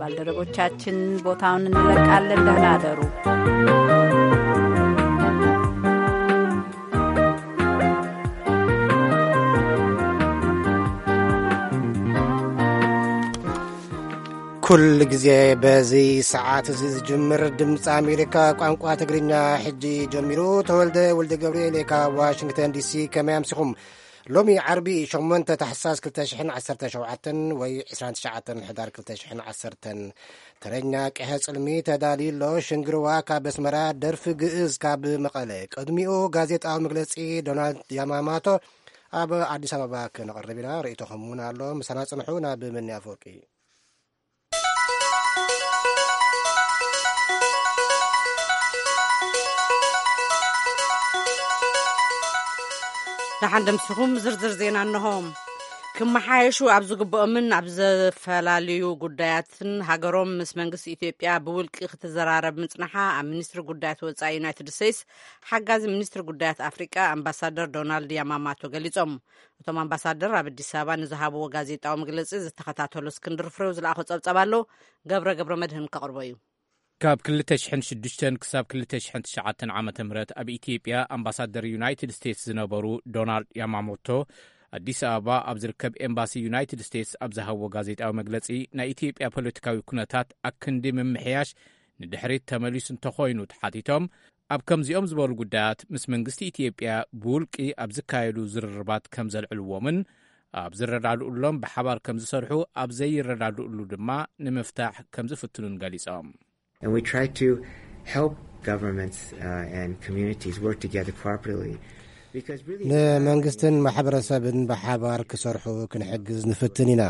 ባልደረቦቻችን ቦታውን እንለቃለን። ደህና አደሩ። ኩል ግዜ በዚ ሰዓት እዚ ዝጅምር ድምፂ ኣሜሪካ ቋንቋ ትግርኛ ሕጂ ጀሚሩ። ተወልደ ወልደ ገብርኤል ካብ ዋሽንግተን ዲሲ፣ ከመይ ኣምሲኹም? ሎሚ ዓርቢ ሸሞንተ ታሕሳስ ክልተ ሽሕን ዓሰርተ ሸውዓተን ወይ ዕስራን ትሽዓተን ሕዳር ክልተ ሽሕን ዓሰርተን። ተረኛ ቀሐ ጽልሚ ተዳልዩ ኣሎ። ሽንግርዋ ካብ ኣስመራ፣ ደርፊ ግእዝ ካብ መቐለ። ቅድሚኡ ጋዜጣዊ መግለጺ ዶናልድ ያማማቶ ኣብ ኣዲስ ኣበባ ክነቕርብ ኢና። ርእይቶኹም እውን ኣሎ። ምሳና ጽንሑ። ናብ መኒ ኣፈወርቂ። ደሓን ደምሲኹም ዝርዝር ዜና እንሆ። ክመሓየሹ ኣብ ዝግብኦምን ኣብ ዝተፈላለዩ ጉዳያትን ሃገሮም ምስ መንግስቲ ኢትዮጵያ ብውልቂ ክትዘራረብ ምጽናሓ ኣብ ሚኒስትሪ ጉዳያት ወጻኢ ዩናይትድ ስቴትስ ሓጋዚ ሚኒስትሪ ጉዳያት ኣፍሪቃ ኣምባሳደር ዶናልድ ያማማቶ ገሊጾም። እቶም ኣምባሳደር ኣብ ኣዲስ ኣበባ ንዝሃብዎ ጋዜጣዊ መግለጺ ዝተኸታተሉ እስክንድር ፍሬው ዝለኣኾ ጸብጸብ ኣሎ። ገብረ ገብረ መድህን ከቕርቦ እዩ። ካብ ክልተ ሽሕን ሽዱሽተን ክሳብ ክልተ ሽሕን ትሽዓተን ዓመተ ምህረት ኣብ ኢትዮጵያ ኣምባሳደር ዩናይትድ ስቴትስ ዝነበሩ ዶናልድ ያማሞቶ፣ ኣዲስ ኣበባ ኣብ ዝርከብ ኤምባሲ ዩናይትድ ስቴትስ ኣብ ዝሃብዎ ጋዜጣዊ መግለጺ፣ ናይ ኢትዮጵያ ፖለቲካዊ ኩነታት ኣክንዲ ምምሕያሽ ንድሕሪት ተመሊሱ እንተኾይኑ ተሓቲቶም፣ ኣብ ከምዚኦም ዝበሉ ጉዳያት ምስ መንግስቲ ኢትዮጵያ ብውልቂ ኣብ ዝካየዱ ዝርርባት ከም ዘልዕልዎምን ኣብ ዝረዳድኡሎም ብሓባር ከም ዝሰርሑ፣ ኣብ ዘይረዳድኡሉ ድማ ንምፍታሕ ከም ዝፍትኑን ገሊጾም። And we try to help governments, uh, and communities work together cooperatively. Because really, ንመንግስትን ማሕበረሰብን ብሓባር ክሰርሑ ክንሕግዝ ንፍትን ኢና።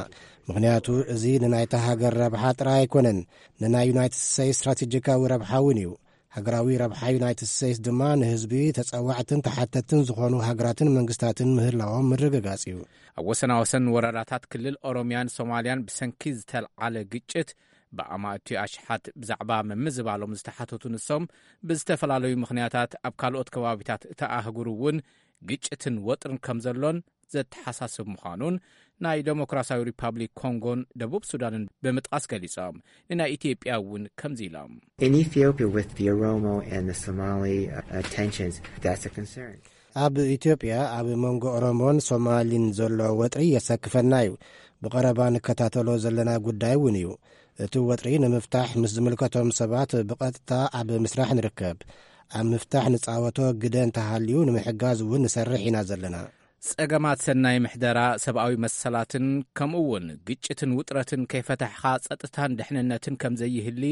ምኽንያቱ እዚ ንናይታ ሃገር ረብሓ ጥራይ ኣይኮነን፣ ንናይ ዩናይትድ ስቴትስ ስትራቴጂካዊ ረብሓ እውን እዩ። ሃገራዊ ረብሓ ዩናይትድ ስቴትስ ድማ ንህዝቢ ተጸዋዕትን ተሓተትን ዝኾኑ ሃገራትን መንግስታትን ምህላዎም ምርግጋጽ እዩ። ኣብ ወሰናወሰን ወረዳታት ክልል ኦሮሚያን ሶማልያን ብሰንኪ ዝተልዓለ ግጭት ብኣማእቲ ኣሽሓት ብዛዕባ ምምዝባሎም ዝተሓተቱ ንሶም፣ ብዝተፈላለዩ ምኽንያታት ኣብ ካልኦት ከባቢታት እታ ኣህጉር እውን ግጭትን ወጥርን ከም ዘሎን ዘተሓሳስብ ምዃኑን ናይ ዴሞክራሲያዊ ሪፓብሊክ ኮንጎን ደቡብ ሱዳንን ብምጥቃስ ገሊጾም፣ ንናይ ኢትዮጵያ እውን ከምዚ ኢሎም። In Ethiopia, with the Oromo and the Somali, uh, tensions, that's a concern. ኣብ ኢትዮጵያ ኣብ መንጎ ኦሮሞን ሶማሊን ዘሎ ወጥሪ የሰክፈና እዩ። ብቐረባ ንከታተሎ ዘለና ጉዳይ እውን እዩ። እቲ ወጥሪ ንምፍታሕ ምስ ዝምልከቶም ሰባት ብቐጥታ ኣብ ምስራሕ ንርከብ። ኣብ ምፍታሕ ንጻወቶ ግደ እንተሃልዩ ንምሕጋዝ እውን ንሰርሕ ኢና ዘለና። ጸገማት ሰናይ ምሕደራ፣ ሰብኣዊ መሰላትን ከምኡ እውን ግጭትን ውጥረትን ከይፈታሕኻ ጸጥታን ድሕንነትን ከም ዘይህሊ፣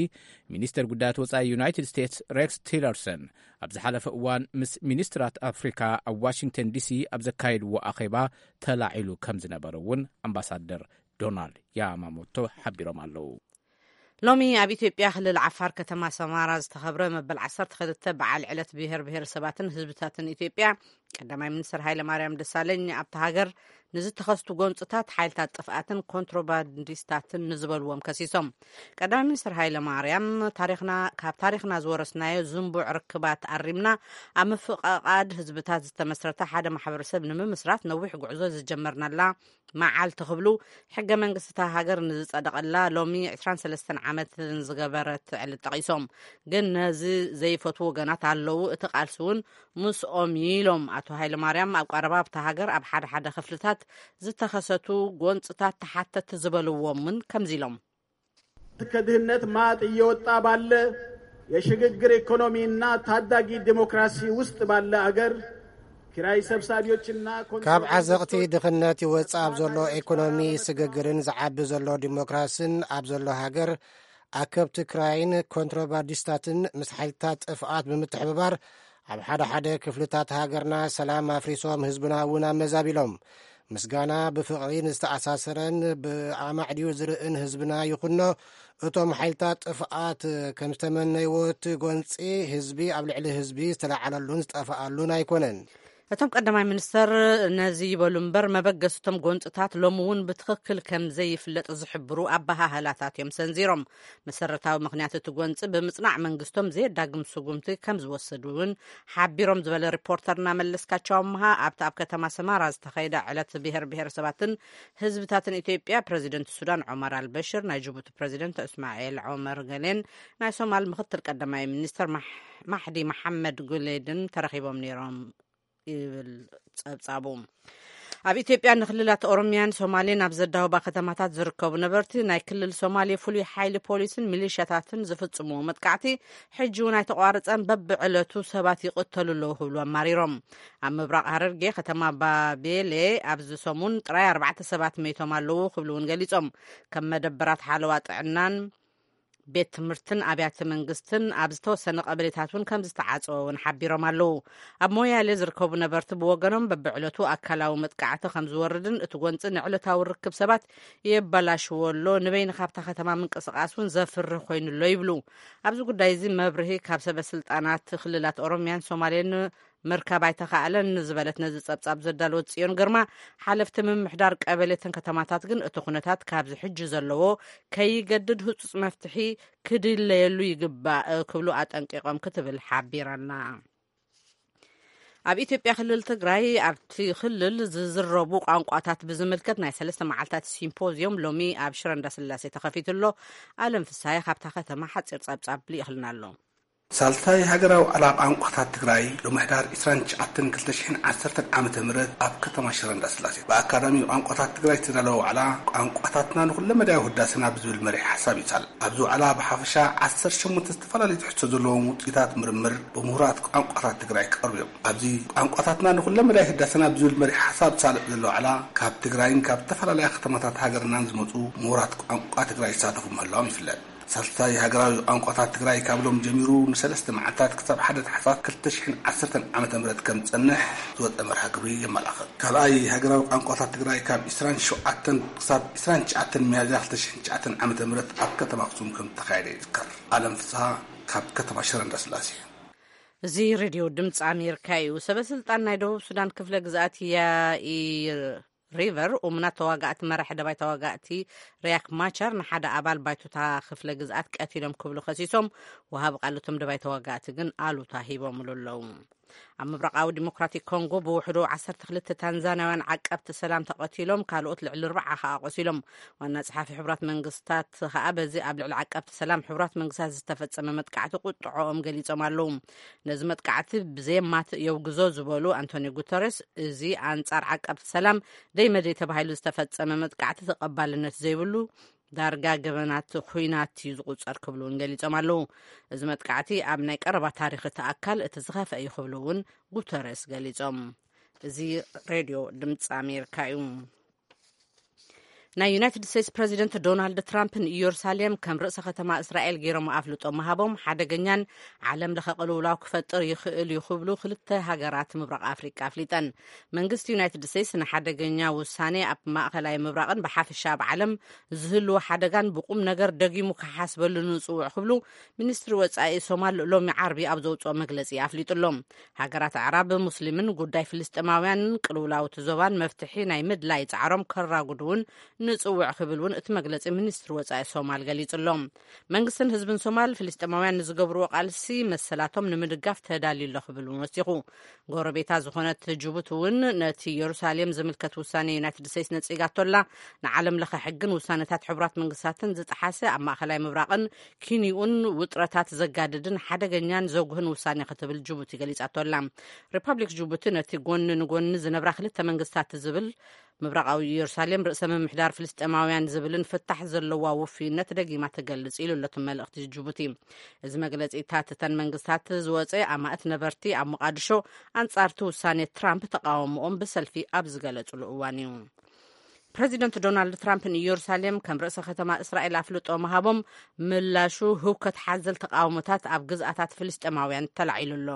ሚኒስተር ጉዳያት ወጻኢ ዩናይትድ ስቴትስ ሬክስ ቲለርሰን ኣብ ዝሓለፈ እዋን ምስ ሚኒስትራት ኣፍሪካ ኣብ ዋሽንግተን ዲሲ ኣብ ዘካየድዎ ኣኼባ ተላዒሉ ከም ዝነበረ እውን ኣምባሳደር ዶናልድ ያማሞቶ ሓቢሮም ኣለዉ። ሎሚ ኣብ ኢትዮጵያ ክልል ዓፋር ከተማ ሰማራ ዝተኸብረ መበል ዓሰርተ ክልተ በዓል ዕለት ብሔር ብሔረሰባትን ህዝብታትን ኢትዮጵያ፣ ቀዳማይ ሚኒስትር ሃይለ ማርያም ደሳለኝ ኣብታ ሃገር ንዝተኸስቱ ጎንፅታት ሓይልታት ጥፍኣትን ኮንትሮባንዲስታትን ንዝበልዎም ከሲሶም። ቀዳማይ ሚኒስትር ሃይለ ማርያም፣ ታሪኽና፣ ካብ ታሪኽና ዝወረስናዮ ዝንቡዕ ርክባት ኣሪምና ኣብ ምፍቕቓድ ህዝብታት ዝተመስረተ ሓደ ማሕበረሰብ ንምምስራት ነዊሕ ጉዕዞ ዝጀመርናላ መዓልቲ ክብሉ፣ ሕገ መንግስቲ እታ ሃገር ንዝጸደቐላ ሎሚ ዕስራን ሰለስተን ዓመት ንዝገበረት ዕለት ጠቒሶም፣ ግን ነዚ ዘይፈትዉ ወገናት ኣለዉ፣ እቲ ቃልሲ እውን ምስኦም እዩ ኢሎም። ኣቶ ሃይለ ማርያም ኣብ ቀረባ ኣብታ ሃገር ኣብ ሓደ ሓደ ክፍልታት ዝተኸሰቱ ጎንፅታት ተሓተቲ ዝበልዎም እውን ከምዚ ኢሎም። ከድህነት ማጥ እየወጣ ባለ የሽግግር ኢኮኖሚና ታዳጊ ዲሞክራሲ ውስጥ ባለ አገር ኪራይ ሰብሳቢዎችና ካብ ዓዘቕቲ ድኽነት ይወጽእ ኣብ ዘሎ ኢኮኖሚ ስግግርን ዝዓቢ ዘሎ ዲሞክራስን ኣብ ዘሎ ሃገር፣ ኣከብቲ ክራይን ኮንትሮባንዲስታትን ምስ ሓይልታት ጥፍኣት ብምትሕብባር ኣብ ሓደ ሓደ ክፍልታት ሃገርና ሰላም ኣፍሪሶም ህዝብና እውን ኣመዛቢሎም። ምስጋና ብፍቕሪ ንዝተኣሳሰረን ብኣማዕድዩ ዝርእን ህዝብና ይኹኖ። እቶም ሓይልታት ጥፍኣት ከም ዝተመነይዎ እቲ ጎንፂ ህዝቢ ኣብ ልዕሊ ህዝቢ ዝተለዓለሉን ዝጠፍኣሉን ኣይኮነን። እቶም ቀዳማይ ሚኒስተር ነዚ ይበሉ እምበር፣ መበገስቶም ጎንፅታት ሎሚ እውን ብትኽክል ከም ዘይፍለጥ ዝሕብሩ ኣበሃህላታት እዮም ሰንዚሮም። መሰረታዊ ምኽንያት እቲ ጎንፂ ብምፅናዕ መንግስቶም ዘየዳግም ስጉምቲ ከም ዝወሰዱ እውን ሓቢሮም ዝበለ ሪፖርተርና መለስካቸው ኣምሃ፣ ኣብቲ ኣብ ከተማ ሰማራ ዝተኸየደ ዕለት ብሄር ብሄረሰባትን ህዝብታትን ኢትዮጵያ፣ ፕሬዚደንት ሱዳን ዑመር ኣልበሽር፣ ናይ ጅቡቲ ፕሬዚደንት እስማኤል ዑመር ገሌን ናይ ሶማል ምኽትል ቀዳማይ ሚኒስተር ማሕ- ማሕዲ መሓመድ ጉሌድን ተረኺቦም ነይሮም ይብል ጸብጻቡ። ኣብ ኢትዮጵያ ንክልላት ኦሮሚያን ሶማሌን ኣብ ዘዳወባ ከተማታት ዝርከቡ ነበርቲ፣ ናይ ክልል ሶማሌ ፍሉይ ሓይሊ ፖሊስን ሚሊሻታትን ዝፍጽምዎ መጥቃዕቲ ሕጂ እውን ኣይተቋረጸን፣ በብዕለቱ ሰባት ይቕተሉ ኣለዉ ክብሉ ኣማሪሮም። ኣብ ምብራቕ ሃረርጌ ከተማ ባቤሌ ኣብዚ ሰሙን ጥራይ ኣርባዕተ ሰባት መይቶም ኣለዉ ክብሉ እውን ገሊጾም። ከም መደበራት ሓለዋ ጥዕናን ቤት ትምህርትን ኣብያተ መንግስትን ኣብ ዝተወሰነ ቀበሌታት እውን ከም ዝተዓጸወ እውን ሓቢሮም ኣለዉ። ኣብ ሞያሌ ዝርከቡ ነበርቲ ብወገኖም፣ በብዕለቱ ኣካላዊ መጥቃዕቲ ከም ዝወርድን እቲ ጎንፂ ንዕለታዊ ርክብ ሰባት የበላሽዎ ኣሎ፣ ንበይንኻ ኣብታ ከተማ ምንቅስቓስ እውን ዘፍርህ ኮይኑ ኣሎ ይብሉ። ኣብዚ ጉዳይ እዚ መብርሂ ካብ ሰበ ስልጣናት ክልላት ኦሮሚያን ሶማሌን ምርካብ ኣይተኻእለን ዝበለት ነዚ ጸብጻብ ዘዳለወት ጽዮን ግርማ፣ ሓለፍቲ ምምሕዳር ቀበሌትን ከተማታት ግን እቲ ኩነታት ካብዚ ሕጂ ዘለዎ ከይገድድ ህጹጽ መፍትሒ ክድለየሉ ይግባእ ክብሉ ኣጠንቂቖም ክትብል ሓቢራና። ኣብ ኢትዮጵያ ክልል ትግራይ ኣብቲ ክልል ዝዝረቡ ቋንቋታት ብዝምልከት ናይ ሰለስተ መዓልታት ሲምፖዝዮም ሎሚ ኣብ ሽረ እንዳስላሴ ተኸፊቱ ኣሎ። ኣለም ፍስሃየ ካብታ ከተማ ሓጺር ጸብጻብ ልኢኽልና ኣሎ። ሳልሳይ ሃገራዊ ዋዕላ ቋንቋታት ትግራይ ሎሚ ሕዳር ዕስራን ትሽዓተን ክልተ ሽሕን ዓሰርተን ዓመተ ምህረት ኣብ ከተማ ሽረ እንዳስላሴ ብኣካዳሚ ቋንቋታት ትግራይ ዝተዳለወ ዋዕላ፣ ቋንቋታትና ንኩለመዳያዊ ህዳሰና ብዝብል መሪሕ ሓሳብ ይሳል። ኣብዚ ዋዕላ ብሓፈሻ ዓሰርተ ሸሞንተ ዝተፈላለዩ ትሕዝቶ ዘለዎም ውፅኢታት ምርምር ብምሁራት ቋንቋታት ትግራይ ቀርቡ እዮም። ኣብዚ ቋንቋታትና ንኩለመዳይ ህዳሰና ብዝብል መሪሕ ሓሳብ ዝሳለጥ ዘሎ ዋዕላ፣ ካብ ትግራይን ካብ ዝተፈላለያ ከተማታት ሃገርናን ዝመፁ ምሁራት ቋንቋ ትግራይ ይሳተፉ ምህላዎም ይፍለጥ። ሳልሳይ ሃገራዊ ቋንቋታት ትግራይ ካብ ሎም ጀሚሩ ንሰለስተ መዓልታት ክሳብ ሓደ ታሕሳስ ክልተ ሽሕን ዓሰርተን ዓመተ ምህረት ከም ዝጸንሕ ዝወጸ መርሃ ግብሪ የመላኽት። ካልኣይ ሃገራዊ ቋንቋታት ትግራይ ካብ ዕስራን ሸውዓተን ክሳብ ዕስራን ትሽዓተን ሚያዝያ ክልተ ሽሕን ትሽዓተን ዓመተ ምህረት ኣብ ከተማ ኣክሱም ከም ዝተኻየደ ይዝከር። ኣለም ፍስሃ ካብ ከተማ ሽረ እንዳስላሴ። እዚ ሬድዮ ድምፂ ኣሜሪካ እዩ። ሰበ ስልጣን ናይ ደቡብ ሱዳን ክፍለ ግዝኣት ያኢር ሪቨር፣ እሙናት ተዋጋእቲ መራሒ ደባይ ተዋጋእቲ ሪያክ ማቻር ንሓደ ኣባል ባይቶታ ክፍለ ግዝኣት ቀቲሎም ክብሉ ከሲሶም፣ ወሃቢ ቃል እቶም ደባይ ተዋጋእቲ ግን ኣሉታ ሂቦምሉ ኣለዉ። ኣብ ምብራቓዊ ዲሞክራቲክ ኮንጎ ብውሕዱ ዓሰርተ ክልተ ታንዛንያውያን ዓቀብቲ ሰላም ተቐቲሎም፣ ካልኦት ልዕሊ ኣርባዓ ከኣ ቆሲሎም። ዋና ጸሓፊ ሕቡራት መንግስታት ከኣ በዚ ኣብ ልዕሊ ዓቀብቲ ሰላም ሕቡራት መንግስታት ዝተፈጸመ መጥቃዕቲ ቁጥዖኦም ገሊጾም ኣለዉ። ነዚ መጥቃዕቲ ብዘየማትእ የውግዞ ዝበሉ ኣንቶኒዮ ጉተረስ፣ እዚ ኣንጻር ዓቀብቲ ሰላም ደይ መደይ ተባሂሉ ዝተፈጸመ መጥቃዕቲ ተቐባልነት ዘይብሉ፣ ዳርጋ ገበናት ኹናት እዩ ዝቑጸር ክብሉ እውን ገሊጾም ኣለዉ። እዚ መጥቃዕቲ ኣብ ናይ ቀረባ ታሪኽ እቲ ኣካል እቲ ዝኸፍአ እዩ ክብሉ እውን ጉተረስ ገሊጾም። እዚ ሬድዮ ድምፂ ኣሜሪካ እዩ። ናይ ዩናይትድ ስቴትስ ፕረዚደንት ዶናልድ ትራምፕ ንኢየሩሳሌም ከም ርእሰ ከተማ እስራኤል ገይሮም ኣፍልጦ ምሃቦም ሓደገኛን ዓለም ለኸ ቅልውላው ክፈጥር ይኽእል እዩ ክብሉ ክልተ ሃገራት ምብራቕ ኣፍሪቃ ኣፍሊጠን። መንግስቲ ዩናይትድ ስቴትስ ንሓደገኛ ውሳኔ ኣብ ማእኸላይ ምብራቕን ብሓፈሻ ኣብ ዓለም ዝህልዎ ሓደጋን ብቁም ነገር ደጊሙ ክሓስበሉ ንጽውዕ ክብሉ ሚኒስትሪ ወጻኢ ሶማል ሎሚ ዓርቢ ኣብ ዘውጽኦ መግለጺ ኣፍሊጡ ኣሎ። ሃገራት ኣዕራብ፣ ሙስሊምን ጉዳይ ፍልስጤማውያንን ቅልውላው እቲ ዞባን መፍትሒ ናይ ምድላይ ጻዕሮም ከራጉዱ እውን ንጽውዕ ክብል እውን እቲ መግለጺ ሚኒስትሪ ወጻኢ ሶማል ገሊጹ ኣሎ። መንግስትን ህዝብን ሶማል ፍልስጤማውያን ንዝገብርዎ ቃልሲ መሰላቶም ንምድጋፍ ተዳልዩ ኣሎ ክብል እውን ወሲኹ። ጎረቤታ ዝኾነት ጅቡቲ እውን ነቲ ኢየሩሳሌም ዝምልከት ውሳኔ ዩናይትድ ስቴትስ ነጺጋቶ ኣላ። ንዓለም ለኸ ሕግን ውሳነታት ሕቡራት መንግስታትን ዝጠሓሰ፣ ኣብ ማእኸላይ ምብራቕን ኪንኡን ውጥረታት ዘጋድድን ሓደገኛን ዘጉህን ውሳኔ ክትብል ጅቡቲ ገሊጻቶ ኣላ። ሪፐብሊክ ጅቡቲ ነቲ ጎኒ ንጎኒ ዝነብራ ክልተ መንግስታት ዝብል ምብራቓዊ ኢየሩሳሌም ርእሰ ምምሕዳር ፍልስጤማውያን ዝብልን ፍታሕ ዘለዋ ውፍይነት ደጊማ ትገልጽ ኢሉ ኣሎ እቲ መልእኽቲ ጅቡቲ። እዚ መግለጺታት እተን መንግስታት ዝወጸ ኣማእት ነበርቲ ኣብ ሞቓድሾ ኣንጻርቲ ውሳኔ ትራምፕ ተቃውሞኦም ብሰልፊ ኣብ ዝገለጹሉ እዋን እዩ። ፕረዚደንት ዶናልድ ትራምፕ ንኢየሩሳሌም ከም ርእሰ ከተማ እስራኤል ኣፍልጦ ምሃቦም ምላሹ ህውከት ሓዘል ተቃውሞታት ኣብ ግዝኣታት ፍልስጤማውያን ተላዒሉ ኣሎ።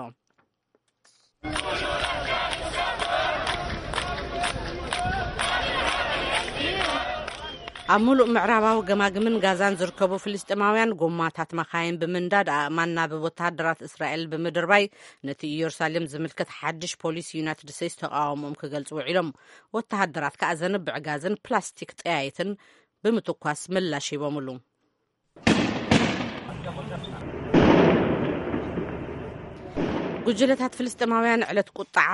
ኣብ ምሉእ ምዕራባዊ ገማግምን ጋዛን ዝርከቡ ፍልስጤማውያን፣ ጎማታት መኻይን ብምንዳድ፣ ኣእማን ናብ ወተሃደራት እስራኤል ብምድርባይ፣ ነቲ ኢየሩሳሌም ዝምልከት ሓድሽ ፖሊሲ ዩናይትድ ስቴትስ ተቓውሞኦም ክገልጹ ውዒሎም። ወተሃደራት ከኣ ዘንብዕ ጋዝን ፕላስቲክ ጠያይትን ብምትኳስ ምላሽ ሂቦምሉ። ጉጅለታት ፍልስጤማውያን ዕለት ቁጥዓ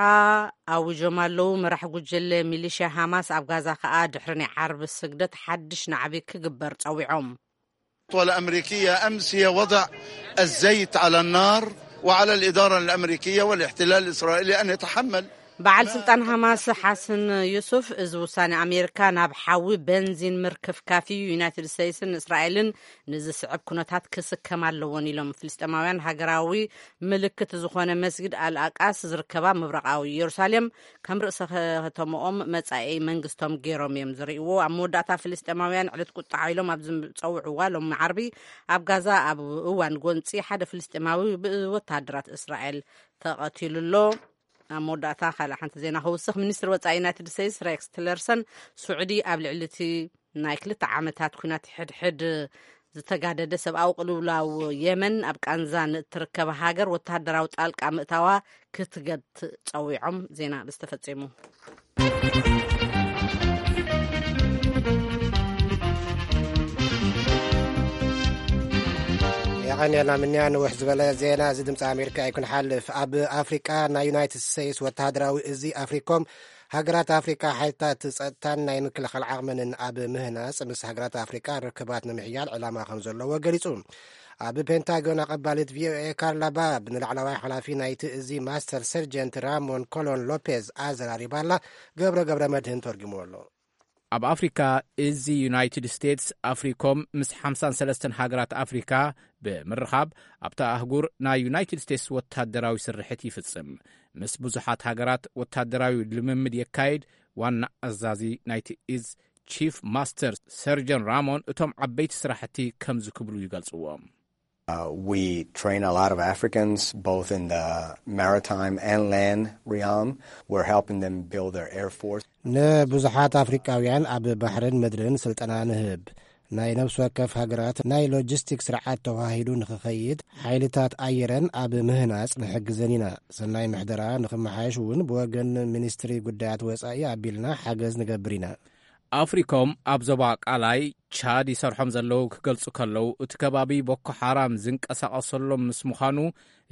ኣዊጆም ኣለዉ። መራሕ ጉጅለ ሚሊሽያ ሃማስ ኣብ ጋዛ ከኣ ድሕሪ ናይ ዓርቢ ስግደት ሓድሽ ናዕቢ ክግበር ጸዊዖም። الأمريكية أمس هي وضع الزيت على النار، وعلى الإدارة الأمريكية والاحتلال الإسرائيلي أن يتحمل. በዓል ስልጣን ሃማስ ሓሰን ዩሱፍ፣ እዚ ውሳኔ ኣሜሪካ ናብ ሓዊ በንዚን ምርክፍካፍ እዩ፣ ዩናይትድ ስቴትስን እስራኤልን ንዝስዕብ ኩነታት ክስከም ኣለዎን ኢሎም። ፍልስጤማውያን ሃገራዊ ምልክት ዝኾነ መስጊድ ኣልኣቃስ ዝርከባ ምብራቓዊ ኢየሩሳሌም ከም ርእሰ ከተምኦም መጻኢ መንግስቶም ገይሮም እዮም ዝርእይዎ። ኣብ መወዳእታ ፍልስጤማውያን ዕለት ቁጥዓ ኢሎም ኣብ ዝጸውዕዋ ሎሚ ዓርቢ፣ ኣብ ጋዛ ኣብ እዋን ጎንጺ ሓደ ፍልስጤማዊ ብወተሃደራት እስራኤል ተቐቲሉ ኣሎ። ኣብ መወዳእታ ካልእ ሓንቲ ዜና ክውስኽ፣ ሚኒስትሪ ወጻኢ ዩናይትድ ስቴትስ ሬክስ ቲለርሰን፣ ስዑዲ ኣብ ልዕሊ እቲ ናይ ክልተ ዓመታት ኲናት ሕድሕድ ዝተጋደደ ሰብኣዊ ቅልውላው የመን ኣብ ቃንዛ ንእትርከበ ሃገር ወተሃደራዊ ጣልቃ ምእታዋ ክትገት ጸዊዖም። ዜና ብዝተፈጸሙ። የቐንየልና ምንያ። ንውሕ ዝበለ ዜና እዚ ድምፂ ኣሜሪካ እዩ ክንሓልፍ። ኣብ ኣፍሪቃ ናይ ዩናይትድ ስቴትስ ወተሃደራዊ እዚ ኣፍሪኮም፣ ሃገራት ኣፍሪቃ ሓይልታት ጸጥታን ናይ ምክልኻል ዓቕመንን ኣብ ምህናጽ ምስ ሃገራት ኣፍሪቃ ርክባት ንምሕያል ዕላማ ከም ዘለዎ ገሊጹ። ኣብ ፔንታጎን ኣቐባሊት ቪኦኤ ካርላ ባብ ንላዕለዋይ ሓላፊ ናይቲ እዚ ማስተር ሰርጀንት ራሞን ኮሎን ሎፔዝ ኣዘራሪባላ። ገብረ ገብረ መድህን ተርጉምዎ ኣሎ። ኣብ ኣፍሪካ እዚ ዩናይትድ ስቴትስ ኣፍሪኮም ምስ ሓምሳን ሰለስተን ሃገራት ኣፍሪካ ብምርኻብ ኣብታ ኣህጉር ናይ ዩናይትድ ስቴትስ ወታደራዊ ስርሕት ይፍጽም። ምስ ብዙሓት ሃገራት ወታደራዊ ልምምድ የካይድ። ዋና ኣዛዚ ናይቲ እዝ ቺፍ ማስተር ሰርጀን ራሞን እቶም ዓበይቲ ስራሕቲ ከምዚ ክብሉ ይገልጽዎም። Uh, we train a lot of Africans, both in the maritime and land realm. We're helping them build their air force. ንብዙሓት ኣፍሪቃውያን ኣብ ባሕርን ምድርን ስልጠና ንህብ። ናይ ነፍሲ ወከፍ ሃገራት ናይ ሎጂስቲክ ስርዓት ተዋሂዱ ንኽኸይድ ሓይልታት ኣየረን ኣብ ምህናጽ ንሕግዘን ኢና። ሰናይ ምሕደራ ንኽመሓየሽ እውን ብወገን ሚኒስትሪ ጉዳያት ወጻኢ ኣቢልና ሓገዝ ንገብር ኢና። ኣፍሪኮም ኣብ ዞባ ቃላይ ቻድ ይሰርሖም ዘለዉ ክገልጹ ከለዉ፣ እቲ ከባቢ ቦኮ ሓራም ዝንቀሳቐሰሎም ምስ ምዃኑ፣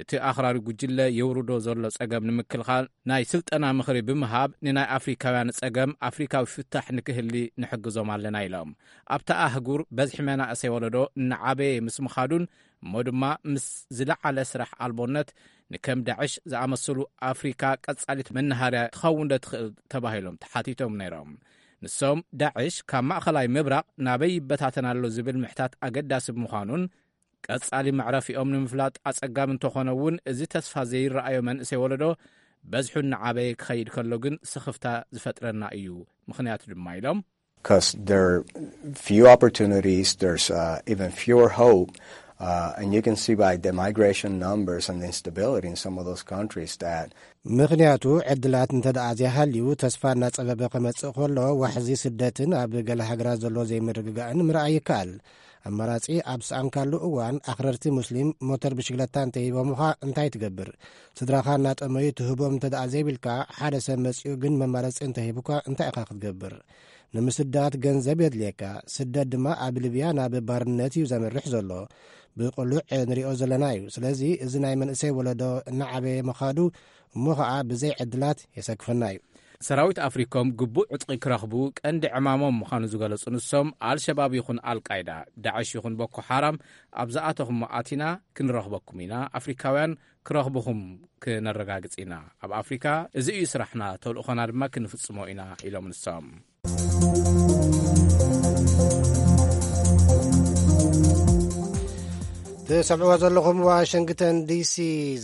እቲ ኣኽራሪ ጉጅለ የውርዶ ዘሎ ጸገም ንምክልኻል ናይ ስልጠና ምኽሪ ብምሃብ፣ ንናይ ኣፍሪካውያን ጸገም ኣፍሪካዊ ፍታሕ ንክህሊ ንሕግዞም ኣለና ኢሎም። ኣብታ ኣህጉር በዝሒ መናእሰይ ወለዶ እናዓበየ ምስ ምኻዱን እሞ ድማ ምስ ዝለዓለ ስራሕ ኣልቦነት ንከም ዳዕሽ ዝኣመሰሉ ኣፍሪካ ቀጻሊት መናሃርያ ትኸውን ዶ ትኽእል ተባሂሎም ተሓቲቶም ነይሮም። ንሶም ዳዕሽ ካብ ማእኸላይ ምብራቕ ናበይ ይበታተን ኣሎ ዝብል ምሕታት ኣገዳሲ ብምዃኑን ቀጻሊ መዕረፊኦም ንምፍላጥ ኣጸጋሚ እንተኾነ እውን፣ እዚ ተስፋ ዘይረኣዮ መንእሰይ ወለዶ በዝሑ እናዓበየ ክኸይድ ከሎ ግን ስኽፍታ ዝፈጥረና እዩ። ምኽንያቱ ድማ ኢሎም፣ Because there are few opportunities, there's uh, even fewer hope, uh, and you can see by the migration numbers and the instability in some of those countries that ምኽንያቱ ዕድላት እንተ ደኣ ዘይሃልዩ፣ ተስፋ እናጸበበ ከመጽእ ከሎ፣ ዋሕዚ ስደትን ኣብ ገለ ሃገራት ዘሎ ዘይምርግጋእን ምርኣይ ይከኣል። ኣማራጺ ኣብ ሰኣንካሉ እዋን፣ ኣኽረርቲ ሙስሊም ሞተር ብሽግለታ እንተሂቦምኻ እንታይ ትገብር? ስድራኻ እናጠመዩ ትህቦም እንተ ደኣ ዘይብልካ፣ ሓደ ሰብ መጺኡ ግን መማረጺ እንተሂቡካ እንታይ ኢኻ ክትገብር? ንምስዳድ ገንዘብ የድልየካ። ስደት ድማ ኣብ ሊብያ ናብ ባርነት እዩ ዘምርሕ ዘሎ። ብቕሉዕ ንሪኦ ዘለና እዩ። ስለዚ እዚ ናይ መንእሰይ ወለዶ እናዓበየ ምኻዱ እሞ ኸኣ ብዘይ ዕድላት የሰክፈና እዩ። ሰራዊት ኣፍሪኮም ግቡእ ዕጥቂ ክረኽቡ ቀንዲ ዕማሞም ምዃኑ ዝገለጹ ንሶም፣ ኣልሸባብ ይኹን ኣልቃይዳ፣ ዳዕሽ ይኹን ቦኮ ሓራም ኣብ ዝኣተኹሞ ኣቲና ክንረኽበኩም ኢና። ኣፍሪካውያን ክረኽብኹም ክነረጋግጽ ኢና። ኣብ ኣፍሪካ እዚ እዩ ስራሕና፣ ተልእኾና ድማ ክንፍጽሞ ኢና ኢሎም ንሶም። ትሰምዕዎ ዘለኹም ዋሽንግተን ዲሲ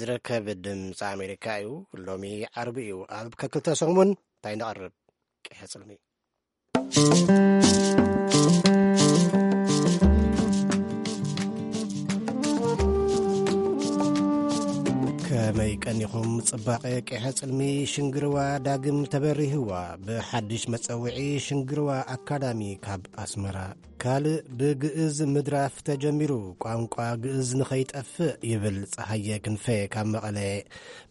ዝርከብ ድምፂ ኣሜሪካ እዩ። ሎሚ ዓርቢ እዩ። ኣብ ከክልተ ሰሙን እንታይ ነቕርብ? ቀይሐ ጽልሚ። ከመይ ቀኒኹም? ጽባቐ ቂሐ ጽልሚ ሽንግርዋ ዳግም ተበሪህዋ ብሓድሽ መጸውዒ ሽንግርዋ ኣካዳሚ ካብ ኣስመራ። ካልእ ብግእዝ ምድራፍ ተጀሚሩ፣ ቋንቋ ግእዝ ንኸይጠፍእ ይብል ጸሃየ ክንፈ ካብ መቐለ።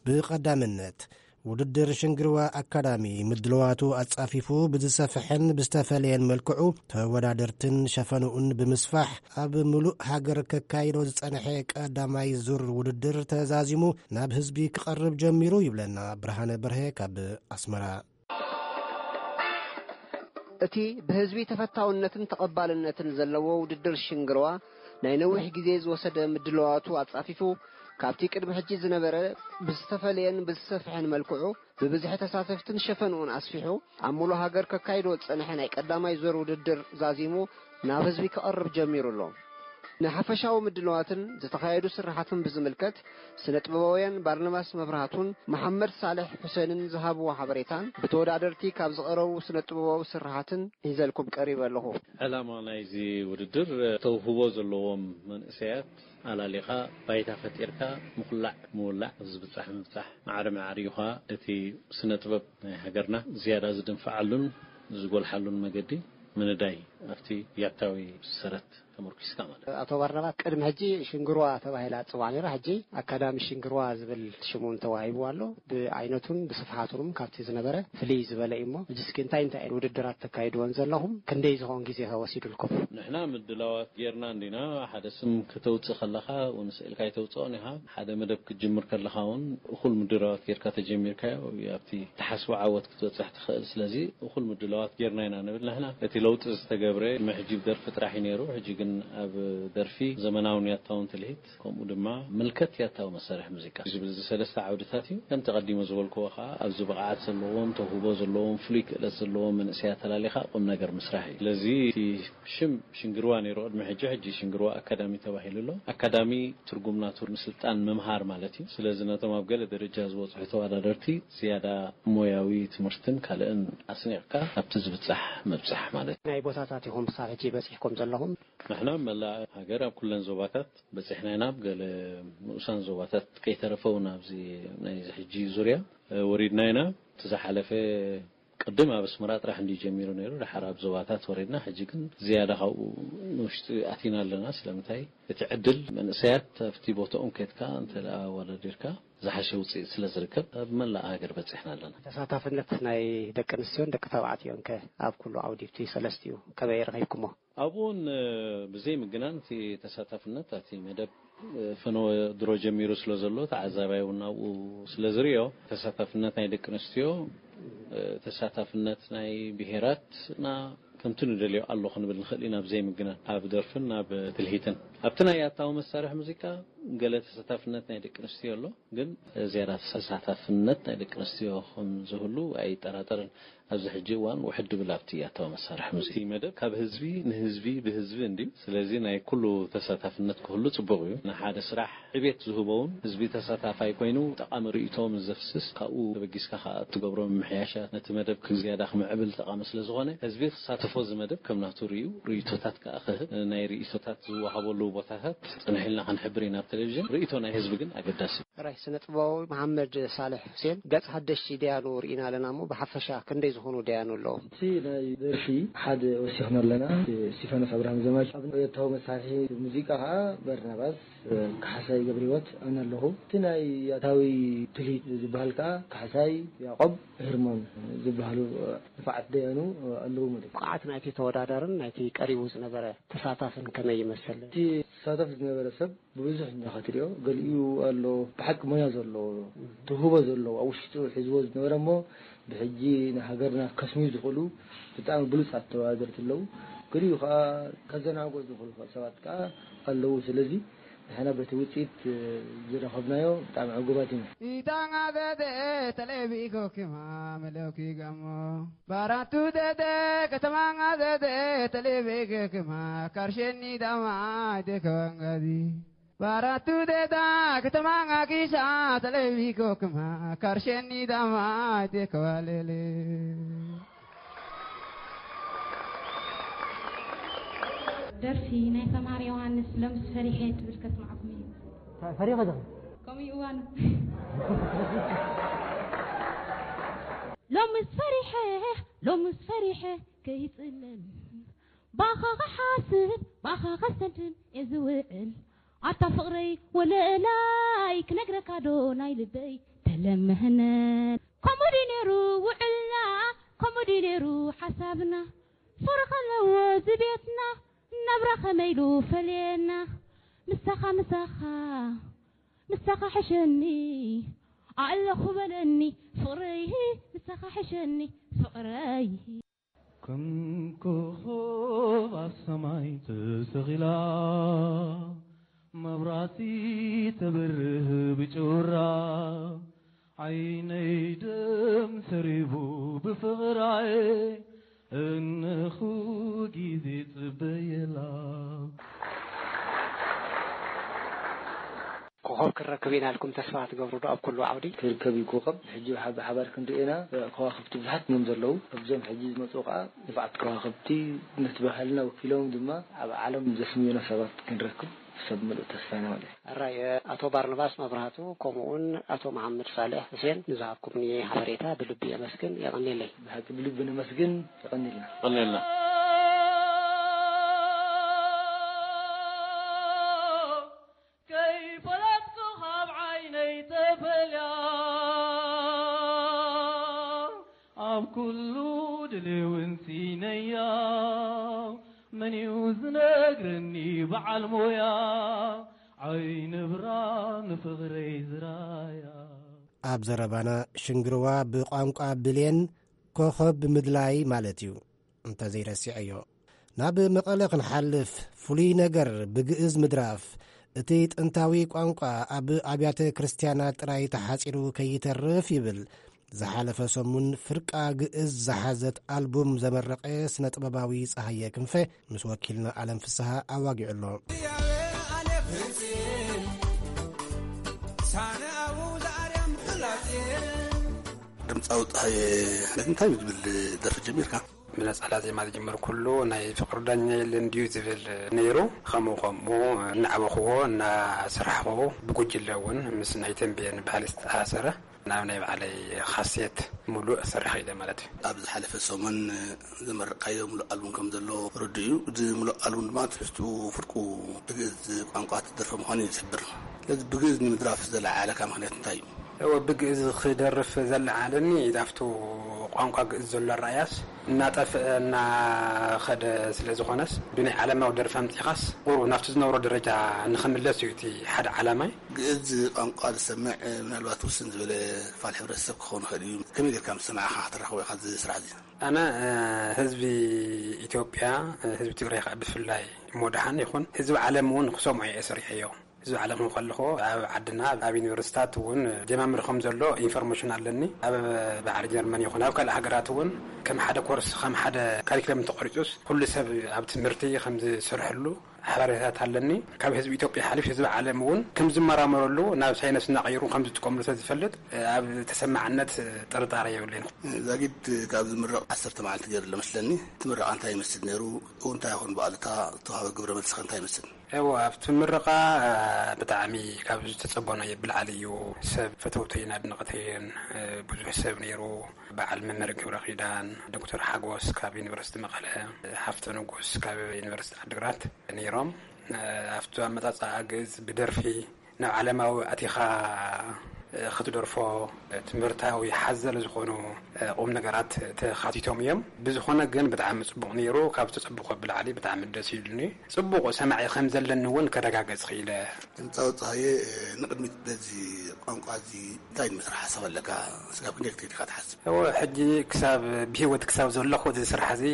ብቐዳምነት ውድድር ሽንግርዋ ኣካዳሚ ምድልዋቱ ኣጻፊፉ ብዝሰፍሐን ብዝተፈለየን መልክዑ ተወዳደርትን ሸፈንኡን ብምስፋሕ ኣብ ምሉእ ሃገር ከካይዶ ዝጸንሐ ቀዳማይ ዙር ውድድር ተዛዚሙ ናብ ህዝቢ ክቐርብ ጀሚሩ ይብለና ብርሃነ በርሀ ካብ ኣስመራ። እቲ ብህዝቢ ተፈታውነትን ተቐባልነትን ዘለዎ ውድድር ሽንግርዋ ናይ ነዊሕ ግዜ ዝወሰደ ምድልዋቱ ኣጻፊፉ ካብቲ ቅድሚ ሕጂ ዝነበረ ብዝተፈለየን ብዝሰፍሐን መልክዑ ብብዝሒ ተሳተፍትን ሸፈንኡን ኣስፊሑ ኣብ ሙሉእ ሃገር ከካይዶ ዝጸንሐ ናይ ቀዳማይ ዙር ውድድር ዛዚሙ ናብ ህዝቢ ክቐርብ ጀሚሩ ኣሎ። ንሓፈሻዊ ምድልዋትን ዝተኻየዱ ስራሓትን ብዝምልከት ስነ ጥበባውያን ባርናባስ መብራህቱን መሓመድ ሳልሕ ሑሴንን ዝሃብዎ ሓበሬታን ብተወዳደርቲ ካብ ዝቐረቡ ስነ ጥበባዊ ስራሓትን ሒዘልኩም ቀሪበ ኣለኹ። ዕላማ ናይዚ ውድድር ተውህቦ ዘለዎም መንእሰያት ኣላሊኻ ባይታ ፈጢርካ ምኹላዕ ምውላዕ፣ ዝብጻሕ ምብጻሕ፣ ማዕረ ማዕሪኡ ኸኣ እቲ ስነ ጥበብ ናይ ሃገርና ዝያዳ ዝድንፍዓሉን ዝጎልሓሉን መገዲ ምንዳይ ኣብቲ ያታዊ ሰረት ተመርኪስካ ማለት እዩ። ኣቶ ባርናባስ፣ ቅድሚ ሕጂ ሽንግርዋ ተባሂላ ትጽዋዕ ነይራ። ሕጂ ኣካዳሚ ሽንግርዋ ዝብል ሽም እውን ተዋሂብዋ ኣሎ። ብዓይነቱን ብስፍሓቱን እውን ካብቲ ዝነበረ ፍልይ ዝበለ እዩ። እሞ ሕጂ እስኪ እንታይ እንታይ ውድድራት ተካይድወን ዘለኹም? ክንደይ ዝኸውን ግዜ ከ ወሲዱልኩም? ንሕና ምድላዋት ጌርና እንዲና። ሓደ ስም ከተውጽእ ከለኻ እውን ስእልካ ኣይተውጽኦን ኢኻ። ሓደ መደብ ክትጅምር ከለኻ እውን እኹል ምድላዋት ጌርካ ተጀሚርካዮ ኣብቲ ትሓስቦ ዓወት ክትበጽሕ ትኽእል። ስለዚ እኹል ምድላዋት ጌርና ኢና ንብል ንሕና። እቲ ለውጢ ዝተገብረ ቅድሚ ሕጂ ብደርፊ ጥራሕ እዩ ነይሩ። ሕጂ ግን ኣብ ደርፊ ዘመናውን ያታውን ትልሂት፣ ከምኡ ድማ ምልከት ያታዊ መሳርሒ ሙዚቃ ዝብል እዚ ሰለስተ ዓውድታት እዩ። ከምቲ ቀዲመ ዝበልክዎ ከዓ ኣብዚ ብቕዓት ዘለዎም፣ ተውህቦ ዘለዎም፣ ፍሉይ ክእለት ዘለዎም መንእሰያት ኣላሊኻ ቁም ነገር ምስራሕ እዩ። ስለዚ እቲ ሽም ሽንግርዋ ነይሩ ቅድሚ ሕጂ፣ ሕጂ ሽንግርዋ ኣካዳሚ ተባሂሉ ኣሎ። ኣካዳሚ ትርጉም ናቱ ምስልጣን ምምሃር ማለት እዩ። ስለዚ ነቶም ኣብ ገለ ደረጃ ዝበጽሑ ተወዳደርቲ ዝያዳ ሞያዊ ትምህርትን ካልእን ኣስኒቕካ ኣብቲ ዝብጻሕ ምብጻሕ ማለት እዩ። ናይ ቦታታት ኢኹም ክሳብ ሕጂ በጺሕኩም ዘለኹም? ንሕና ኣብ መላእ ሃገር ኣብ ኩለን ዞባታት በጺሕና ኢና። ኣብ ገለ ንኡሳን ዞባታት ከይተረፈ እውን ኣብዚ ናይዚ ሕጂ ዙርያ፣ እ፣ ወሪድና ኢና። እቲ ዝሓለፈ ቅድም ኣብ ኣስመራ ጥራሕ እንዲ ጀሚሩ ነይሩ፣ ድሓር ኣብ ዞባታት ወሪድና፣ ሕጂ ግን ዝያዳ ካብኡ ንውሽጢ ኣቲና ኣለና። ስለምንታይ? እቲ ዕድል መንእሰያት ኣብቲ ቦታኦም ከድካ እንተ ደኣ ኣወዳዲርካ ዝሓሸ ውጽኢት ስለ ዝርከብ ኣብ መላእ ሃገር በጺሕና ኣለና። ተሳታፍነት ናይ ደቂ ኣንስትዮን ደቂ ተባዕትዮን ከ ኣብ ኩሉ ዓውዲ እቲ ሰለስቲኡ ከመይ ረኺብኩሞ? ኣብኡ እውን፣ እ፣ ብዘይ ምግናን እቲ ተሳታፍነት ኣብቲ መደብ፣ እ፣ ፈነወ ድሮ ጀሚሩ ስለ ዘሎ ተዓዛባይ እውን ናብኡ ስለ ዝርእዮ ተሳታፍነት ናይ ደቂ ኣንስትዮ፣ እ፣ ተሳታፍነት ናይ ብሄራት እና ከምቲ ንደልዮ ኣሎ ክንብል ንኽእል ኢና። ብዘይ ምግናን ኣብ ደርፍን ኣብ ትልሂትን ኣብቲ ናይ ኣታዊ መሳርሒ ሙዚቃ ገለ ተሳታፍነት ናይ ደቂ ኣንስትዮ ኣሎ፣ ግን ዝያዳ ተሳታፍነት ናይ ደቂ ኣንስትዮ ከም ዝህሉ ኣይጠራጠርን። ኣብዚ ሕጂ እዋን ውሕድ ድብል ኣብቲ ኣታዊ መሳርሒ ሙዚቃ መደብ ካብ ህዝቢ ንህዝቢ ብህዝቢ እንድዩ። ስለዚ ናይ ኩሉ ተሳታፍነት ክህሉ ጽቡቕ እዩ። ንሓደ ስራሕ ዕቤት ዝህቦ እውን ህዝቢ ተሳታፋይ ኮይኑ ጠቓሚ ርእይቶ ምስ ዘፍስስ ካብኡ ተበጊስካ ከኣ እትገብሮ ምምሕያሻት ነቲ መደብ ዝያዳ ክምዕብል ጠቓሚ ስለ ዝኾነ ህዝቢ ክሳተፎ እዚ መደብ ከም ናቱ ርእዩ ርእይቶታት ከኣ ክህብ ናይ ርእይቶታት ዝወሃበሉ ቦታታት ጽንሕ ኢልና ክንሕብር ኢና ኣብ ቴሌቪዥን። ርእይቶ ናይ ህዝቢ ግን ኣገዳሲ እዩ። ራይ ስነ ጥበባዊ መሓመድ ሳልሕ ሁሴን፣ ገጽ ሓደሽቲ ደያኑ ርኢና ኣለና እሞ፣ ብሓፈሻ ክንደይ ዝኾኑ ደያኑ ኣለዉ? እቲ ናይ ደርፊ ሓደ ወሲኽና ኣለና። እስቲፋኖስ ኣብርሃም ዘማች፣ ኣብ ኤርትራዊ መሳርሒ ሙዚቃ ኸዓ በርናባስ፣ እ፣ ካሕሳይ ገብረህይወት፣ ኣነ ኣለኹ። እቲ ናይ ኣታዊ ትልሂት ዝበሃል ከኣ ካሕሳይ ያዕቆብ፣ ህርሞን ዝበሃሉ፣ እ፣ ንፋዓት ደያኑ፣ እ፣ ኣለዉ ማለት እዩ። ብቕዓት ናይቲ ተወዳዳርን ናይቲ ቀሪቡ ዝነበረ ተሳታፍን ከመይ ይመስል? እቲ ተሳታፊ ዝነበረ ሰብ ብብዙሕ እኛ ክትሪኦ፣ ገሊኡ ኣሎ ብሓቂ ሞያ ዘለዎ፣ ትውህቦ ዘለዎ፣ ኣብ ውሽጡ ሒዝዎ ዝነበረ እሞ ብሕጂ ንሃገርና ከስምዩ ዝኽእሉ ብጣዕሚ ብሉጻት ተወዳደርቲ ኣለዉ። ገሊኡ ከኣ ከዘናግዑ ዝኽእሉ ሰባት ከኣ ኣለዉ። ስለዚ ንሕና በቲ ውጽኢት ዝረኸብናዮ ብጣዕሚ ዕጉባት ኢና። ኢታንጋ ዘተ ተሌቪ ኮኪማ መለኪ ጋሞ ባራቱ ዘተ ከተማንጋ ዘተ ተሌቪ ኮኪማ ካርሸኒ ዳማ ደከዋንጋዚ ባራቱ ደዳ ከተማንጋ ኪሻ ተሌቪ ኮኪማ ካርሸኒ ዳማ ደከዋሌሌ። ደርፊ ናይ ሰማር ዮሃንስ ሎምስ ፈሪሐ ትብል ከስምዓኩም እዩ። ፈሪኸ ዲኺ? ከምኡ እዩ እዋኑ። ሎምስ ፈሪሐ፣ ሎምስ ፈሪሐ ከይጽለል፣ ባኻ ክሓስብ፣ ባኻ ከስተንትን እየ ዝውዕል። ኣታ ፍቕረይ ወለላይ፣ ክነግረካ ዶ ናይ ልበይ ተለመህነል። ከምኡ ድዩ ነይሩ ውዕልና፣ ከምኡ ድዩ ነይሩ ሓሳብና። ፍቕሪ ከለዎ እዚ ቤትና፣ ናብራ ከመይ ኢሉ ፈልየና። ምሳኻ፣ ምሳኻ፣ ምሳኻ ሕሸኒ፣ ኣለኹ በለኒ ፍቕረይ፣ ምሳኻ ሕሸኒ ፍቕረይ። ከም ኮኾብ ኣብ ሰማይ ተሰቒላ፣ መብራህቲ ተብርህ ብጩራ፣ ዓይነይ ደም ሰሪቡ ብፍቕራይ፣ እንኹ ግዜ ጽበየላ። ኮኾብ ክረክብ ኢና ኢልኩም ተስፋ ትገብሩ ዶ ኣብ ኩሉ ዓውዲ? ክርከብ እዩ ኮኾብ። ሕጂ ብሓ-፣ ብሓባር ክንርኢ ኢና። ከዋኽብቲ ብዙሓት እዮም ዘለዉ። ኣብዞም ሕጂ ዝመጹ ከኣ ንፉዓት ከዋኽብቲ ነቲ ባህልና ወኪሎም ድማ ኣብ ዓለም ዘስምዩና ሰባት ክንረክብ ሰብ ምሉእ ተስፋ ኢና ማለት እዩ። ኣራይ፣ ኣቶ ባርናባስ መብራህቱ ከምኡውን ኣቶ መሓመድ ሳልሕ ሁሴን ንዝሃብኩምኒ ሓበሬታ ብልቢ የመስግን። የቐንየለይ። ብሓቂ ብልቢ ነመስግን። የቐንየልና። ቀንየልና። ከይፈለጥኩ ካብ ዓይነይ ተፈልያ፣ ኣብ ኩሉ ድልውን ሲነያ፣ መን እዩ ዝነግረኒ በዓል ሞያ፣ ዓይኒ ብራ ንፍቕረይ ዝራያ። ኣብ ዘረባና ሽንግርዋ ብቋንቋ ብሌን ኮኸብ ብምድላይ ማለት እዩ፣ እንተዘይረሲዐዮ። ናብ መቐለ ክንሓልፍ፣ ፍሉይ ነገር ብግእዝ ምድራፍ። እቲ ጥንታዊ ቋንቋ ኣብ ኣብያተ ክርስትያናት ጥራይ ተሓጺሩ ከይተርፍ ይብል። ዝሓለፈ ሰሙን ፍርቃ ግእዝ ዝሓዘት ኣልቡም ዘመረቐ ስነ ጥበባዊ ጸሃየ ክንፈ ምስ ወኪልና ኣለም ፍስሃ ኣዋጊዑ ኣሎ። ድምፃዊ ፀሃየ እንታይ ብዝብል ደርፊ ጀሚርካ? ብነፀላ ዜማ ዝጀመርኩሉ ናይ ፍቅሪ ዳኛ የለን ድዩ ዝብል ነይሩ። ከምኡ ከምኡ እናዕበኽዎ እናሰራሕኽዎ ብጉጅለ እውን ምስ ናይ ተንቤን ባህሊ ዝተኣሳሰረ ናብ ናይ ባዕለይ ካሴት ሙሉእ ሰሪሐ ኢለ ማለት እዩ። ኣብ ዝሓለፈ ሰሙን ዘመረቕካዮ ሙሉእ ኣልቡም ከም ዘሎ ርዱእ እዩ። እዚ ሙሉእ ኣልቡም ድማ ትሕዝትኡ ፍርቁ ብግእዝ ቋንቋ ትደርፈ ምዃኑ እዩ ዝሕብር። ስለዚ ብግእዝ ንምድራፍ ዘለዓዓለካ ምኽንያት እንታይ እዩ? እወ፣ ብግእዝ ክደርፍ ዘለዓዓለኒ ኣብቲ ቋንቋ ግእዝ ዘሎ ኣረኣእያስ እናጠፍአ እናኸደ ስለ ዝኾነስ ብናይ ዓለማዊ ደርፊ ኣምፂኻስ ቁሩብ ናብቲ ዝነበሮ ደረጃ ንኽምለስ እዩ እቲ ሓደ ዓላማይ። ግእዝ ቋንቋ ዝሰምዕ ምናልባት ውስን ዝበለ ክፋል ሕብረተሰብ ክኸውን ይኽእል እዩ። ከመይ ጌርካ ምስ ሰማዕኻ ከተራኽቦ ኢኻ እዚ ስራሕ እዚ? ኣነ፣ እ፣ ህዝቢ ኢትዮጵያ፣ እ፣ ህዝቢ ትግራይ ከዓ ብፍላይ እሞ ደሓን ይኹን ህዝቢ ዓለም እውን ክሰምዖ እየ ሰሪሐዮ። ህዝቢ ዓለም እውን ከለኹ ኣብ ዓድና ኣብ ዩኒቨርሲታት እውን ጀማምር ከም ዘሎ ኢንፎርሜሽን ኣለኒ። ኣብ ባዕሪ ጀርመን ይኹን ኣብ ካልእ ሃገራት እውን ከም ሓደ ኮርስ ከም ሓደ ካሪክለም ተቆሪፁስ ኩሉ ሰብ ኣብ ትምህርቲ ከም ዝሰርሐሉ ሓበሬታት ኣለኒ። ካብ ህዝቢ ኢትዮጵያ ሓሊፍ ህዝቢ ዓለም እውን ከም ዝመራመረሉ ናብ ሳይንስ እናቐይሩ ከም ዝጥቀምሉ ስለ ዝፈልጥ ኣብ ተሰማዕነት ጥርጣረ የብለይን። ዛጊድ ካብ ዝምረቕ ዓሰርተ መዓልቲ ገይሩ ኣሎ መስለኒ። እቲ ምረቓ እንታይ ይመስል ነይሩ? እውን እንታይ ይኾን ብኣሉታ ዝተዋህበ ግብረ መልስኸ እንታይ ይመስል? እዎ፣ ኣብቲ ምረቓ ብጣዕሚ ካብ ዝተጸበናዮ ብላዕሊ እዩ። ሰብ ፈተውተይን ኣድነቕተይን ብዙሕ ሰብ ነይሩ። በዓል መምህር ገብረ ኪዳን፣ ዶክተር ሓጎስ ካብ ዩኒቨርሲቲ መቐለ፣ ሃፍተ ንጉስ ካብ ዩኒቨርሲቲ ዓድግራት ነይሮም። ኣብቲ ኣመጻጽኣ ግእዝ ብደርፊ ናብ ዓለማዊ ኣቲኻ ክትደርፎ ትምህርታዊ ሓዘል ዝኾኑ ቁም ነገራት ተኻቲቶም እዮም። ብዝኾነ ግን ብጣዕሚ ጽቡቕ ነይሩ። ካብ ዝተጸበኹ ብላዕሊ ብጣዕሚ ደስ ኢሉኒ። ጽቡቕ ሰማዒ ከም ዘለኒ እውን ከረጋገጽ ክኢለ። ድምጻዊ ጸሃየ፣ ንቕድሚት በዚ ቋንቋ እዚ እንታይ ንምስራሕ ሓሳብ ኣለካ? ስጋብ ክንደይ ክትከይድ ኢኻ ትሓስብ? እወ፣ ሕጂ ክሳብ ብህይወት ክሳብ ዘለኹ እዚ ስራሕ እዚ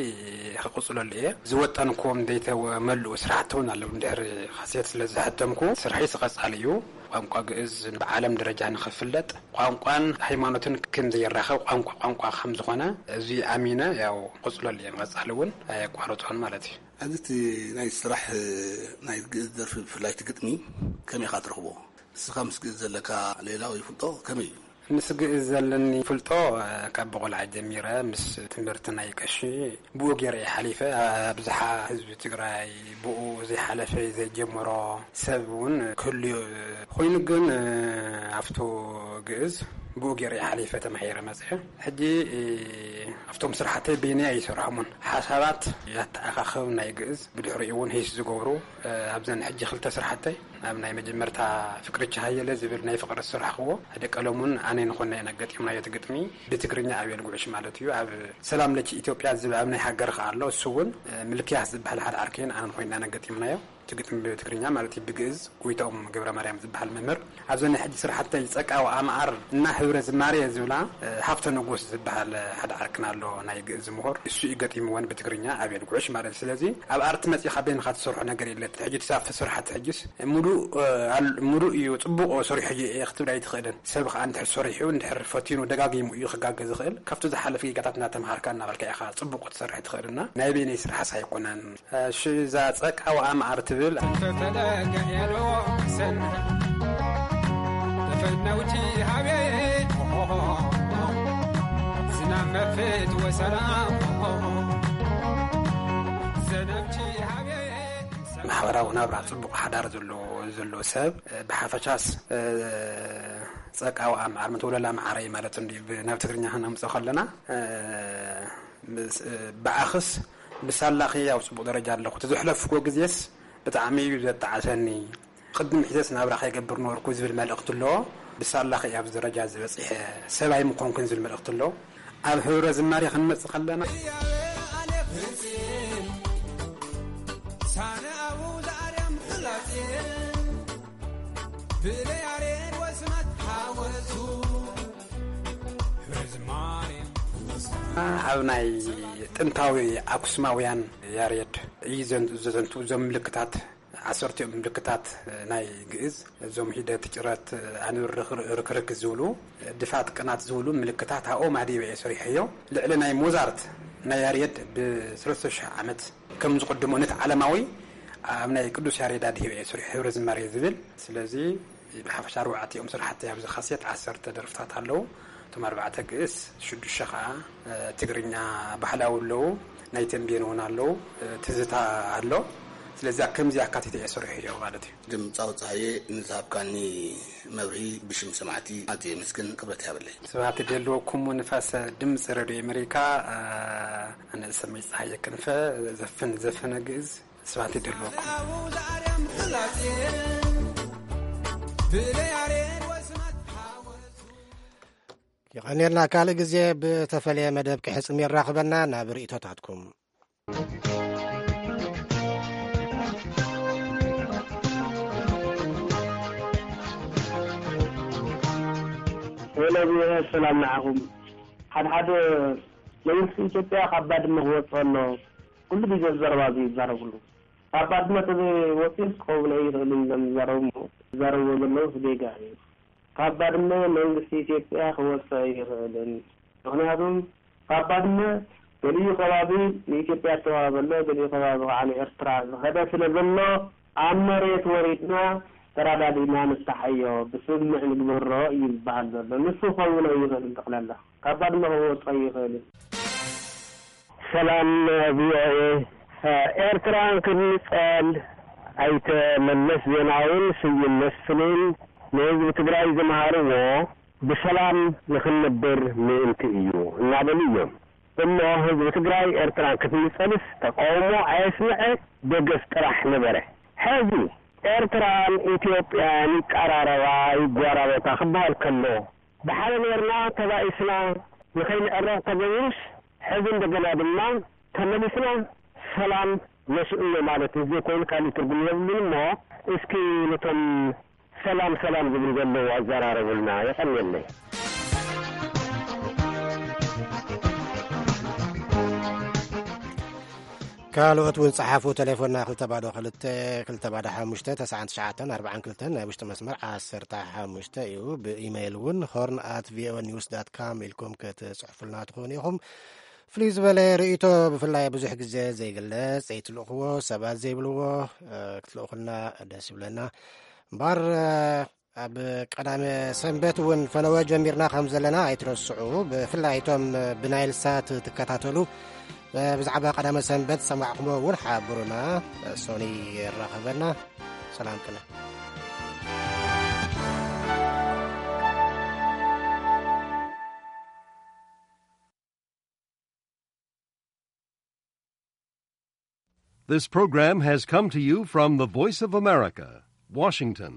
ክቕጽለሉ እየ። ዝወጠንኩዎም ዘይተመልኡ ስራሕቲ እውን ኣለዉ። እንድሕሪ ካሴት ስለ ዝሓተምኩ ስርሐይ ቀጻሊ እዩ። ቋንቋ ግእዝ ብዓለም ደረጃ ንኽፍለጥ ቋንቋን ሃይማኖትን ከም ዘየራኽብ ቋንቋ ቋንቋ ከም ዝኾነ እዚ ኣሚነ ያው ክቕጽለሉ እየ። ቀጻሊ እውን ኣየቋርጾን ማለት እዩ። ኣብዚ እቲ ናይ ስራሕ ናይ ግእዝ ደርፊ ብፍላይ እቲ ግጥሚ ከመይ ኢኻ ትረኽቦ? ንስኻ ምስ ግእዝ ዘለካ ሌላ ወይ ፍልጦ ከመይ እዩ? ምስ ግእዝ ዘለኒ ፍልጦ ካብ ብቆልዓ ጀሚረ ምስ ትምህርቲ ናይ ቀሺ ብኡ ገይረ እየ ሓሊፈ። ኣብዝሓ ህዝቢ ትግራይ ብኡ ዘይሓለፈ ዘይጀመሮ ሰብ እውን ክህሉ ኮይኑ፣ ግን ኣብቱ ግእዝ ብኡ ገይረ እየ ሓሊፈ፣ ተማሂረ መፅአ። ሕጂ ኣብቶም ስራሕተይ በይነይ ኣይሰርሖምን። ሓሳባት ያተኣኻኸብ ናይ ግእዝ ብድሕሪኡ እውን ሂስ ዝገብሩ ኣብዘን ሕጂ ክልተ ስራሕተይ ኣብ ናይ መጀመርታ ፍቅርች ሃየለ ዝብል ናይ ፍቅሪ ዝሰራሕክዎ ሓደ ቀለሙን ኣነ ንኾና ኢና ገጢምናዮ። እቲ ግጥሚ ብትግርኛ ኣቤል ጉዕሽ ማለት እዩ። ኣብ ሰላም ለች ኢትዮጵያ ዝብል ኣብ ናይ ሃገር ከኣ ኣሎ። እሱ እውን ምልክያስ ዝበሃል ሓደ ዓርከይን ኣነን ኮይና ኢና ገጢምናዮ። እቲ ግጥሚ ብትግርኛ ማለት እዩ። ብግእዝ ጎይታኦም ገብረ ማርያም ዝበሃል መምህር። ኣብዘን ናይ ሕጂ ስራሕተይ ጸቃዊ ኣምዓር እና ህብረ ዝማሬ ዝብላ ሃብተ ንጉስ ዝበሃል ሓደ ዓርክና ኣሎ፣ ናይ ግእዝ ምሁር። እሱ እዩ ገጢምወን ብትግርኛ ኣቤል ጉዕሽ ማለት እዩ። ስለዚ ኣብ ኣርቲ መጺኻ በይንኻ ትሰርሖ ነገር የለ። ሕጂ ትሳፍ ስራሕቲ ሕጂስ ሙሉእ ሙሉእ እዩ፣ ጽቡቕ ሰሪሑ እዩ ክትብል ኣይትኽእልን። ሰብ ከዓ እንድሕር ሰሪሑ እንድሕር ፈቲኑ ደጋጊሙ እዩ ክጋገ ዝኽእል። ካብቲ ዝሓለፈ ጌጋታት እናተምሃርካ እናበልካ ኢኻ ጽቡቕ ክትሰርሕ ትኽእልና። ናይ በይነይ ስራሕስ ኣይኮነን። እሺ፣ እዛ ጸቃዊ ኣምዓር ትብል ፈለገ ኤሎ ሰን ተፈነውቲ ሃቤ ዝናብ መፍት ወሰላም ዘነብቲ ሃቤ ማሕበራዊ ናብራ ጽቡቕ ሓዳር ዘለዎ ዘሎ ሰብ ብሓፈሻስ ጸቃዊ ኣምዓር ምትወለላ መዓረይ ማለት እንዲ ናብ ትግርኛ ክነምጽኦ ከለና ብኣኽስ ብሳላኺ ኣብ ጽቡቕ ደረጃ ኣለኹ። እቲ ዘሕለፍኩዎ ግዜስ ብጣዕሚ እዩ ዘጣዕሰኒ። ቅድም ሒዘስ ናብራ ከይገብር ነበርኩ ዝብል መልእኽቲ ኣሎ። ብሳላኺ ኣብዚ ደረጃ ዝበጽሐ ሰብ ኣይምኾንኩን ዝብል መልእኽቲ ኣሎ። ኣብ ህብረ ዝማሬ ክንመጽእ ከለና ሳነ ኣቡ ዘኣርያም ፍላጼ ብለያሬድ ወስመት ሓወሱ ህብረ ዝማሬ ኣብ ናይ ጥንታዊ ኣክሱማውያን ያሬድ እዩ ዘን- ዘዘንቱ እዞም ምልክታት ዓሰርቲኦም ምልክታት ናይ ግእዝ እዞም ሂደት ጭረት ኣንብር ርክርክ ዝብሉ ድፋት ቅናት ዝብሉ ምልክታት ኣብኦም ኣድህበ እየ ሰሪሐዮ። ልዕሊ ናይ ሞዛርት ናይ ያሬድ ብሰለስተ ሽሕ ዓመት ከም ዝቕድሞ ነቲ ዓለማዊ ኣብ ናይ ቅዱስ ያሬድ ኣድህበ እየ ሰሪሐ ህብረ ዝማሬ ዝብል። ስለዚ ብሓፈሻ ኣርባዕቲኦም ስራሕቲ ኣብዚ ካሴት ዓሰርተ ደርፍታት ኣለዉ። እቶም ኣርባዕተ ግእስ፣ ሽዱሽተ ከዓ ትግርኛ ባህላዊ ኣለዉ፣ ናይ ተንቤን እውን ኣለዉ፣ ትዝታ ኣሎ። ስለዚ ከምዚ ኣካቲተ እየ ሰሪሐዮ ማለት እዩ። ድምፃዊ ፀሃየ ንዝሃብካኒ መብርሂ ብሽም ሰማዕቲ ኣዝየ የመስግን፣ ክብረት ይሃበለይ። ስብሃት ይደልወኩም ንፋስ ድምፂ ሬድዮ ኣሜሪካ። ኣነ ዝሰመይ ፀሃየ ክንፈ ዘፍን ዘፈነ ግእዝ ስብሃት ይደልወኩም። የቐንየልና። ካልእ ግዜ ብተፈለየ መደብ ክሕጽም የራኽበና። ናብ ርእይቶታትኩም። ሄሎ፣ ሰላም ንዓኹም። ሓድሓደ መንግስቲ ኢትዮጵያ ካብ ባድመ ክወፅእ ኣሎ። ኩሉ ግዜ ዘረባ እዚ ይዛረብሉ። ካብ ባድመ ተዘይወፂኡስ ክኸውን ኣይኽእልን እዮም ዝዛረቡ እሞ፣ ዝዛረብዎ ዘለውስ ጌጋ እዩ። ካብ ባድመ መንግስቲ ኢትዮጵያ ክወፅእ ኣይኽእልን። ምኽንያቱም ካብ ባድመ ገሊኡ ከባቢ ንኢትዮጵያ ዝተዋህበ ኣሎ፣ ገሊኡ ከባቢ ከዓ ንኤርትራ ዝኸደ ስለ ዘሎ፣ ኣብ መሬት ወሪድና ተራዳዲና ንፍታሓዮ፣ ብስምምዕ ንግበሮ እዩ ዝበሃል ዘሎ። ንሱ ክኸውን ኣይኽእልን። ጠቕላላ ካብ ባድመ ክወፅእ ኣይኽእልን። ሰላም ቪኦኤ። ኤርትራ ክንጸል ኣይተ መለስ ዜናውን ስዩም መስፍንን ንህዝቢ ትግራይ ዝመሃርዎ ብሰላም ንኽንነብር ምእንቲ እዩ እናበሉ እዮም። እሞ ህዝቢ ትግራይ ኤርትራ ክትንጸልስ ተቃውሞ ኣየስምዐ፣ ደገፍ ጥራሕ ነበረ። ሕዚ ኤርትራን ኢትዮጵያን ይቀራረባ ይጓራበታ ክበሃል ከሎ፣ ብሓደ ኔርና ተባኢስና ንኸይንዕረቕ ተገይሩስ፣ ሕዚ እንደገና ድማ ተመሊስና ሰላም ነስእኖ ማለት ዘይኮይኑ ካልእ ትርጉም የብሉን። እሞ እስኪ ነቶም ሰላም ሰላም ዝብሉ ዘለዉ ኣዘራረቡልና። የቐንየለይ። ካልኦት እውን ጸሓፉ። ቴሌፎንና ክልተ ባዶ ክልተ፣ ክልተ ባዶ ሓሙሽተ፣ ተስዓን ትሽዓተን ኣርባዓን ክልተን፣ ናይ ውሽጢ መስመር ዓሰርተ ሓሙሽተ እዩ። ብኢሜይል እውን ሆርን ኣት ቪኦኤ ኒውስ ዳት ካም ኢልኩም ክትጽሕፉልና ትኾኑ ኢኹም። ፍልይ ዝበለ ርእይቶ፣ ብፍላይ ብዙሕ ግዜ ዘይግለጽ፣ ዘይትልእኽዎ፣ ሰባት ዘይብልዎ፣ እ፣ ክትልእኹልና ደስ ይብለና። እምበኣር፣ እ፣ ኣብ ቀዳመ ሰንበት እውን ፈነወ ጀሚርና ከም ዘለና ኣይትረስዑ። ብፍላይ እቶም ብናይል ሳት ትከታተሉ፣ ብዛዕባ ቀዳመ ሰንበት ሰማዕኩሞ እውን ሓብሩና። ሶኒ የራኸበና። ሰላም ቅነ። This program has come to you from the Voice of America, Washington.